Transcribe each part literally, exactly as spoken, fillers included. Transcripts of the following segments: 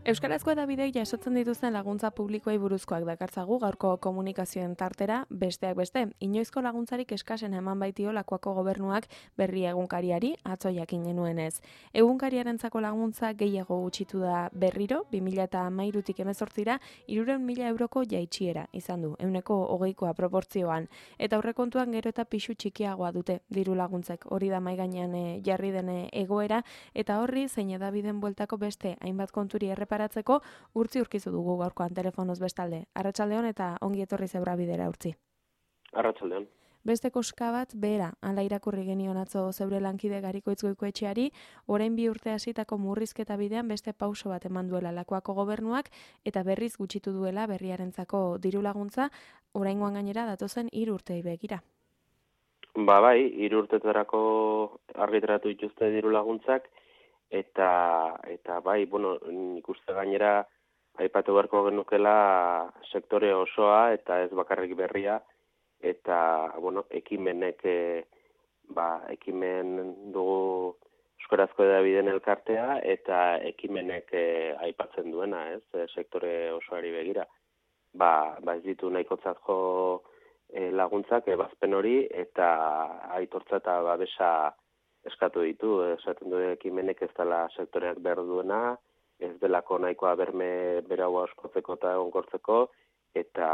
Euskarazko hedabideek jasotzen dituzten laguntza publikoei buruzkoak dakartzagu gaurko komunikazioen tartera, besteak beste. Inoizko laguntzarik eskasen eman baitio Lakuako gobernuak berri egunkariari atzo jakin genuenez. Egunkariarentzako laguntza gehiago gutxitu da berriro, bi mila hamairutik hemezortzira hirurehun mila euroko jaitsiera izan du, ehuneko hogeikoa proportzioan. Eta aurrekontuan gero eta pisu txikiagoa dute diru laguntzek, hori da mahai gainean e, jarri den egoera, eta horri zein hedabideen bueltako beste hainbat konturi errepa Paratzeko urtzi urkizu dugu gaurkoan telefonoz bestalde. Arratsaldeon eta ongi etorri zeura bidera urtzi. Arratsaldeon. Beste koska bat behera, hala irakurri genion atzo zeure lankide Garikoitz Goikoetxeari, orain bi urte hasitako murrizketa bidean beste pauso bat eman duela Lakuako gobernuak eta berriz gutxitu duela berriarentzako diru laguntza, oraingoan gainera datozen hiru urteei begira. Ba bai, hiru urtetarako argitaratu dituzte diru laguntzak. Eta, eta bai, bueno, nik uste gainera aipatu beharko genukela sektore osoa eta ez bakarrik berria, eta, bueno, ekimenek, e, ba, ekimen dugu euskarazko hedabideen elkartea, eta ekimenek e, aipatzen duena, ez, e, sektore osoari begira. Ba, ba ez ditu nahikotzat jo e, laguntzak, ebazpen hori, eta aitortza eta babesa eskatu ditu, esaten du ekimenek ez dela sektoreak behar duena, ez delako nahikoa berme beraua oskotzeko eta egonkortzeko, eta,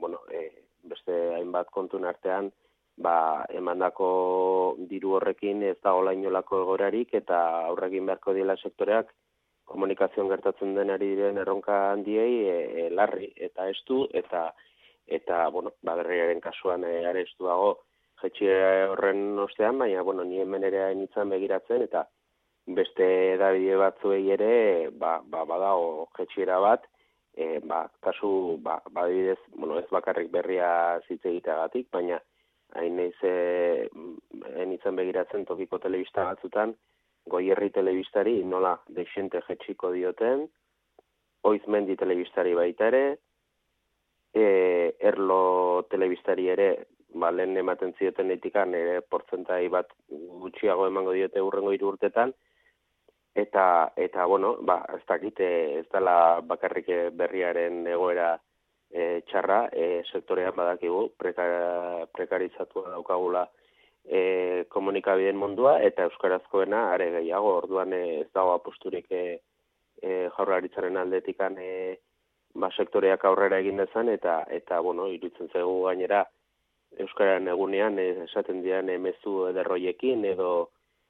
bueno, e, beste hainbat kontun artean, ba, emandako diru horrekin ez da hola inolako egorarik, eta aurrekin beharko diela sektoreak komunikazioan gertatzen denari diren erronka handiei e, e, larri eta estu, eta, eta bueno, ba, berriaren kasuan e, are estuago, jetxie horren ostean, baina, bueno, ni hemen ere hainitzen begiratzen, eta beste edabide batzuei ere, ba, ba, badago jetxiera bat, e, ba, kasu, ba, badibidez, bueno, ez bakarrik berria zitze egiteagatik, baina hain naiz e, hainitzen begiratzen tokiko telebista batzutan, Goierri telebistari nola deixente jetxiko dioten, Oizmendi telebistari baita ere, e, Erlo telebistari ere, ba, lehen ematen zioten etikan ere portzentai bat gutxiago emango diote urrengo hiru urtetan, eta, eta bueno, ba, ez dakit, ez dela bakarrik berriaren egoera e, txarra, e, sektorean badakigu, prekar, prekarizatua daukagula e, komunikabideen mundua, eta euskarazkoena are gehiago, orduan e, ez dago aposturik e, e, jaurlaritzaren aldetikan e, ba, sektoreak aurrera egin dezan, eta, eta bueno, iruditzen zaigu gainera, Euskararen egunean esaten dian mezu ederroiekin edo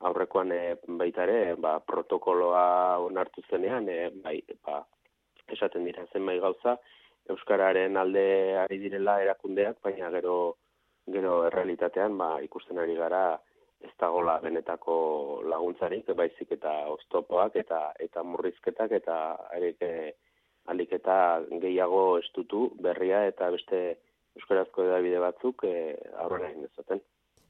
aurrekoan e, baita ere ba, protokoloa onartu zenean e, bai, ba, esaten dira zenbait gauza Euskararen alde ari direla erakundeak, baina gero gero errealitatean ba, ikusten ari gara ez dagoela benetako laguntzarik, baizik eta oztopoak eta eta murrizketak eta alik eta gehiago estutu berria eta beste euskarazko hedabide batzuk e, aurrera egin dezaten.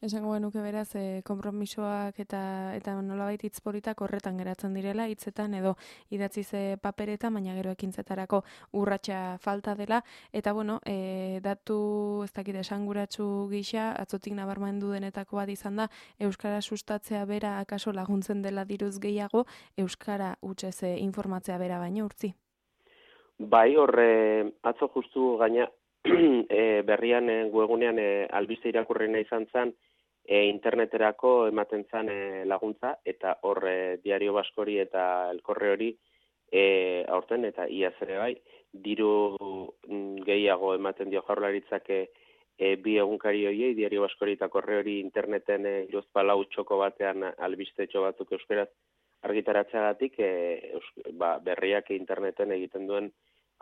Esango genuke beraz, e, konpromisoak eta eta nolabait hitz politak horretan geratzen direla, hitzetan edo idatziz paperetan, baina gero ekintzetarako urratsa falta dela, eta bueno, e, datu ez dakit esanguratsu gisa, atzotik nabarmendu denetako bat izan da, euskara sustatzea bera akaso laguntzen dela diruz gehiago, euskara hutsez e, informatzea bera baino urtzi. Bai, horre atzo justu gaina e, berrian e, webunean e, albiste irakurrena izan zen e, interneterako ematen zen e, laguntza eta hor e, Diario Baskori eta Elkorre hori e, aurten eta iaz ere bai diru gehiago ematen dio jaurlaritzak e, e, bi egunkari horiei Diario Baskori eta Korre hori interneten e, hiruzpalau txoko batean albistetxo batzuk euskaraz argitaratzeagatik e, ba, berriak interneten egiten duen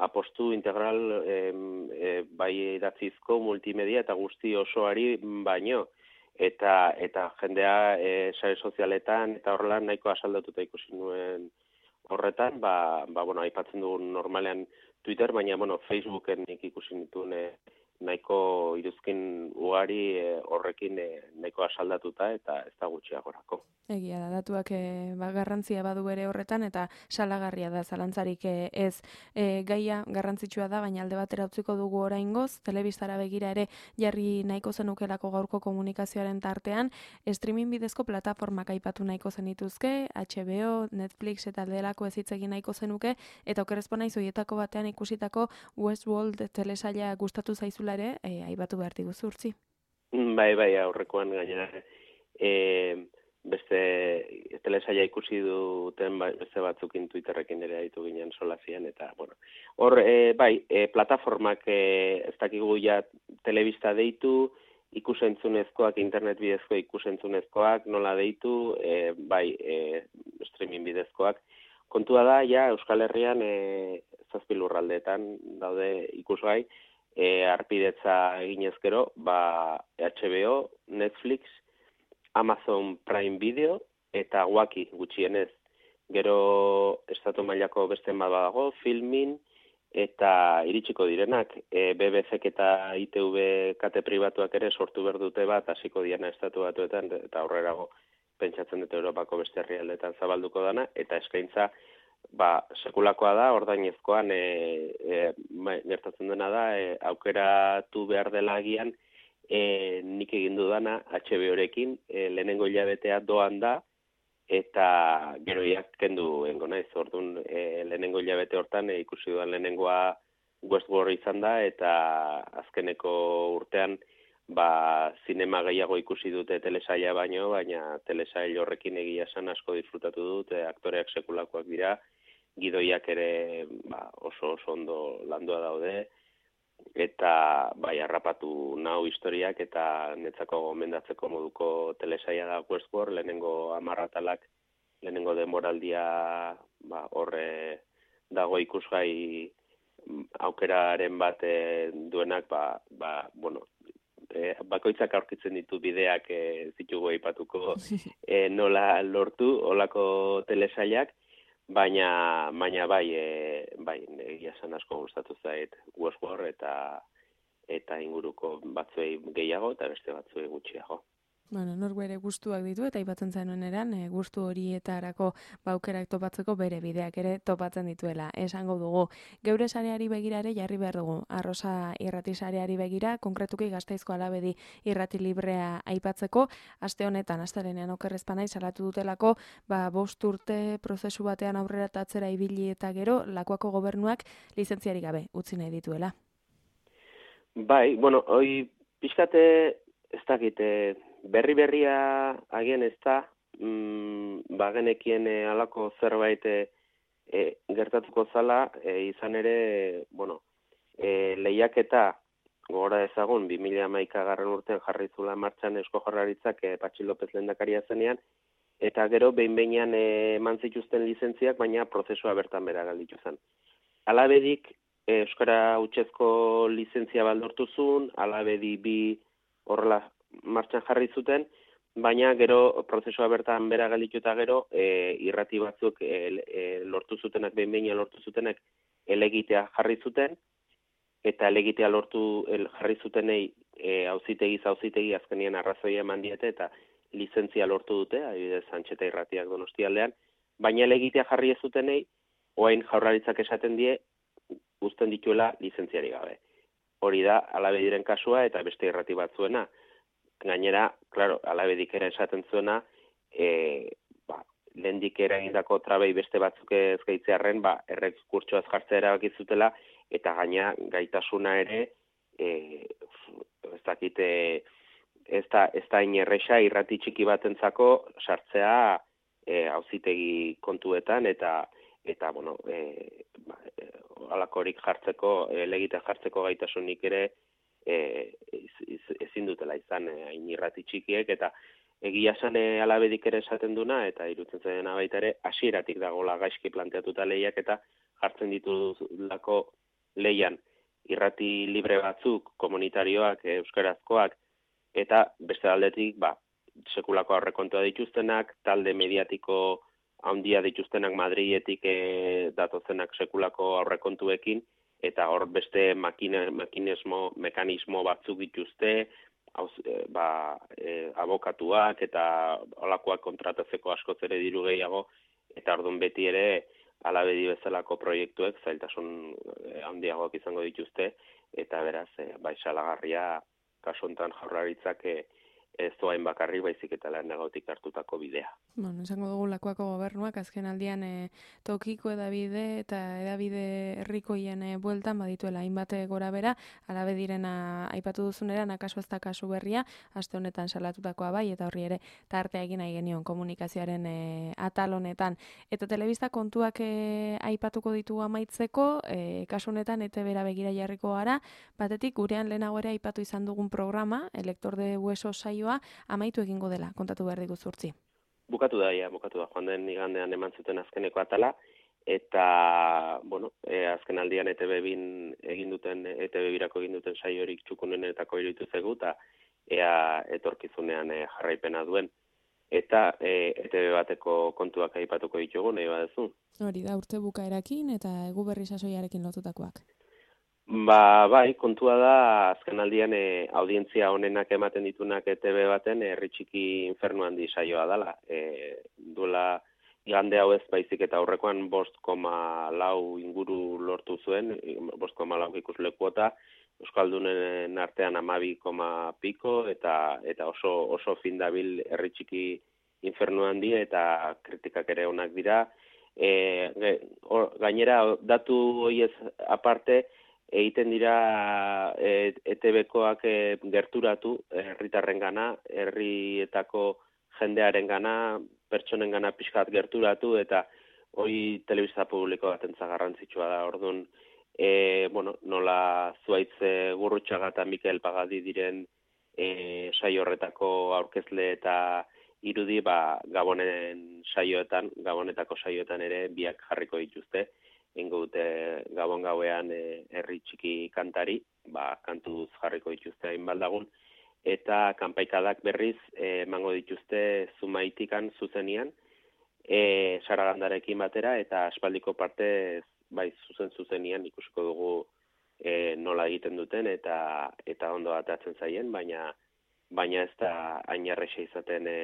apostu integral e, e, bai idatzizko multimedia eta guzti osoari baino eta eta jendea e, sare sozialetan eta horrela nahiko asaldatuta ikusi nuen horretan, ba, ba bueno, aipatzen dugu normalean Twitter, baina bueno, Facebooken nik ikusi nituen e, nahiko iruzkin ugari e, horrekin e, nahiko asaldatuta eta ez da gutxiagorako. Egia da, datuak e, ba, garrantzia badu ere horretan, eta salagarria da zalantzarik e, ez e, gaia garrantzitsua da, baina alde batera utziko dugu oraingoz, telebistara begira ere jarri nahiko zenukelako gaurko komunikazioaren tartean, streaming bidezko plataformak aipatu nahiko zenituzke, H B O, Netflix eta delako ez hitz egin nahiko zenuke, eta okerrezpo naiz hoietako batean ikusitako Westworld telesaila gustatu zaizula ere, e, aipatu behar diguzu urtzi. Bai, bai, aurrekoan gainera. E, beste telesaila ikusi duten beste batzukin Twitterrekin ere ditu ginen solazian, eta, bueno, hor, e, bai, e, plataformak e, ez dakigu ja telebista deitu, ikusentzunezkoak, internet bidezko ikusentzunezkoak, nola deitu, e, bai, e, streaming bidezkoak. Kontua da, ja, Euskal Herrian e, zazpi lurraldeetan daude ikusgai, e, arpidetza eginez gero, ba, H B O, Netflix, Amazon Prime Video eta Waki gutxienez. Gero estatu mailako beste bat dago, Filmin eta iritsiko direnak. E, B B C eta I T V kate pribatuak ere sortu behar dute bat, hasiko diana estatu batuetan, eta aurrerago pentsatzen dut Europako beste herrialdetan zabalduko dana, eta eskaintza ba, sekulakoa da, ordainezkoan e, e, gertatzen dena da, e, aukeratu behar dela agian, e, nik egin dudana H B O-rekin, e, lehenengo hilabetea doan da, eta gero iak kendu engo naiz, orduan e, lehenengo hilabete hortan e, ikusi dudan lehenengoa Westworld izan da, eta azkeneko urtean ba, zinema gehiago ikusi dute telesaila baino, baina telesail horrekin egia esan asko disfrutatu dut, e, aktoreak sekulakoak dira, gidoiak ere ba, oso oso ondo landua daude, eta bai harrapatu nau historiak, eta netzako gomendatzeko moduko telesaila da Westworld, lehenengo amarratalak, lehenengo demoraldia ba, horre dago ikusgai aukeraren bat duenak, ba, ba, bueno, e, bakoitzak aurkitzen ditu bideak e, zitugu aipatuko e, nola lortu olako telesailak, baina baina bai e, bai egia esan asko gustatu zait Westworld eta eta inguruko batzuei gehiago eta beste batzuei gutxiago. Bueno, nor bere gustuak ditu, eta aipatzen zenuen eran, e, gustu horietarako baukerak topatzeko bere bideak ere topatzen dituela. Esango dugu, geure sareari begira ere jarri behar dugu. Arrosa irrati sareari begira, konkretuki Gasteizko Alabedi irrati librea aipatzeko, aste honetan, astelenean okerrezpanai salatu dutelako, ba, bost urte prozesu batean aurrera tatzera ibili eta gero, Lakuako gobernuak lizentziarik gabe utzi nahi dituela. Bai, bueno, hoi pixkate ez dakite, berri berria agian ez da, mm, bagenekien e, alako zerbait e, gertatuko zala, e, izan ere, bueno, e, lehiaketa gogora ezagun, bi mila hamaika garren urtean jarri zula martxan Eusko Jaurlaritzak e, Patxi López lehendakaria zenean, eta gero behin-behinean e, eman zituzten lizentziak, baina prozesua bertan bera galditu zen. Alabedik, e, Euskara hutsezko lizentzia baldortu zuen, Alabedi bi horrela martxan jarri zuten, baina gero prozesua bertan bera galditu eta gero e, irrati batzuk e, e, lortu zutenak, behin-behinean lortu zutenak elegitea jarri zuten, eta elegitea lortu el, jarri zutenei e, auzitegiz auzitegi azkenien arrazoia eman diete eta lizentzia lortu dute, adibidez Antxeta irratiak Donostialdean, baina elegitea jarri ez zutenei, orain Jaurlaritzak esaten die uzten dituela lizentziari gabe. Hori da Alabediren kasua eta beste irrati batzuena. Gainera, claro, Alabedik ere esaten zuena, e, ba, lehendik eragindako trabei beste batzuk ez gaitzearren, ba, errekurtsoaz jartzea erabaki zutela, eta gaina gaitasuna ere, e, ez dakite, ez da, ez da inerresa irrati txiki batentzako sartzea e, auzitegi kontuetan, eta, eta bueno, e, ba, e, alakorik jartzeko, elegite jartzeko gaitasunik ere, E, ezin dutela izan hain e, irrati txikiek, eta egia esan e, Alabedik ere esaten duna, eta irutzen zaidana baita ere, hasieratik dagoela gaizki planteatuta lehiak, eta jartzen ditulako lehian irrati libre batzuk, komunitarioak, e, euskarazkoak, eta beste aldetik, ba, sekulako aurrekontua dituztenak, talde mediatiko handia dituztenak Madriletik e, datozenak sekulako aurrekontuekin, eta hor beste makine, makinesmo, mekanismo batzuk dituzte, hauz, e, ba, e, abokatuak eta olakoak kontratatzeko askoz ere diru gehiago, eta orduan beti ere alabedi bezalako proiektuek zailtasun handiagoak izango dituzte, eta beraz, e, bai salagarria kasu honetan Jaurlaritzak e, ez doain bakarrik baizik eta lehenagotik hartutako bidea. Bueno, esango dugu Lakuako gobernuak azken aldian e, tokiko edabide eta edabide herrikoien e, bueltan badituela hainbat gora bera, alabe direna aipatu duzuneran akaso ez da kasu berria, aste honetan salatutakoa bai, eta horri ere tartea egin nahi genion komunikazioaren e, atal honetan. Eta telebista kontuak e, aipatuko ditugu amaitzeko, e, kasu honetan E T B-ra begira jarriko gara, batetik gurean lehenago ere aipatu izan dugun programa, Elektor de Hueso saioa, amaitu egingo dela, kontatu behar digu zurtzi. Bukatu da, ja, bukatu da, joan den igandean eman zuten azkeneko atala, eta, bueno, e, azken aldian E T B bin egin duten, E T B birako egin duten saiorik txukunenetako iruditu zegu, eta ea etorkizunean e, jarraipena duen. Eta e, E T B bateko kontuak aipatuko ditugu, nahi badezu. Hori da, urte bukaerakin eta egu berri sasoiarekin lotutakoak. Ba, bai, kontua da, azken aldian e, audientzia honenak ematen ditunak E T B baten herri txiki infernu handi saioa dela. E, duela igande hau ez baizik eta aurrekoan bost koma lau inguru lortu zuen, bost koma lau ikuslekuota, Euskaldunen artean amabi koma piko, eta eta oso oso fin dabil herri txiki infernu handi, eta kritikak ere onak dira. E, or, gainera, datu horiez aparte, egiten dira e, E T B-koak e, gerturatu herritarrengana, herrietako jendearen gana, pertsonen gana pixkat gerturatu, eta hori telebista publiko batentza garrantzitsua da. Orduan, e, bueno, nola Zuaitz Gurrutxaga eta Mikel Pagadi diren e, saio horretako aurkezle eta irudi, ba, Gabonen saioetan, Gabonetako saioetan ere biak jarriko dituzte. Ingo dute Gabon gauean e, herri txiki kantari, ba, kantuz jarriko dituzte hainbat lagun, eta kanpaikadak berriz emango dituzte Zumaitikan zuzenian, e, Saragandarekin batera, eta aspaldiko parte bai zuzen zuzenian ikusiko dugu e, nola egiten duten, eta eta ondo atatzen zaien, baina baina ez da hain erraza izaten e,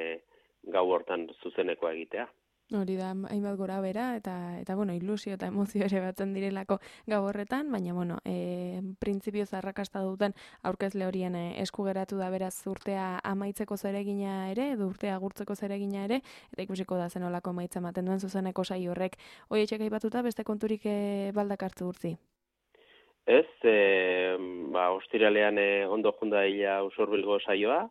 gau hortan zuzeneko egitea. Hori da, hainbat gora bera, eta, eta bueno, ilusio eta emozio ere batzen direlako gau horretan, baina, bueno, e, printzipioz arrakasta duten aurkezle horien e, esku geratu da beraz urtea amaitzeko zeregina ere, edo urtea agurtzeko zeregina ere, eta ikusiko da zenolako emaitza ematen duen zuzeneko saio horrek. Hoi etxek aipatuta beste konturik e, baldak hartu urtzi? Ez, e, ba, ostiralean e, ondo junda hila Usurbilgo saioa,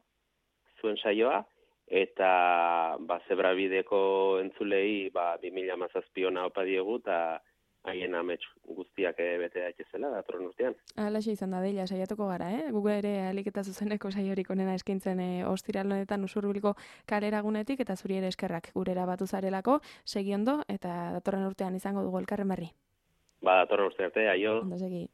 zuen saioa, eta ba, Zebrabideko entzulei ba, bi mila hamazazpi ona opa diegu, eta haien amets guztiak bete daitezela datorren urtean. Halaxe izan da deila, saiatuko gara, eh? Google ere alik eta zuzeneko saiorik onena eskaintzen e, ostiral honetan Usurbilgo kaleragunetik, eta zuri ere eskerrak gurera batu zarelako, segi ondo, eta datorren urtean izango dugu elkarren berri. Ba, datorren urte arte, aio. Ondo segi.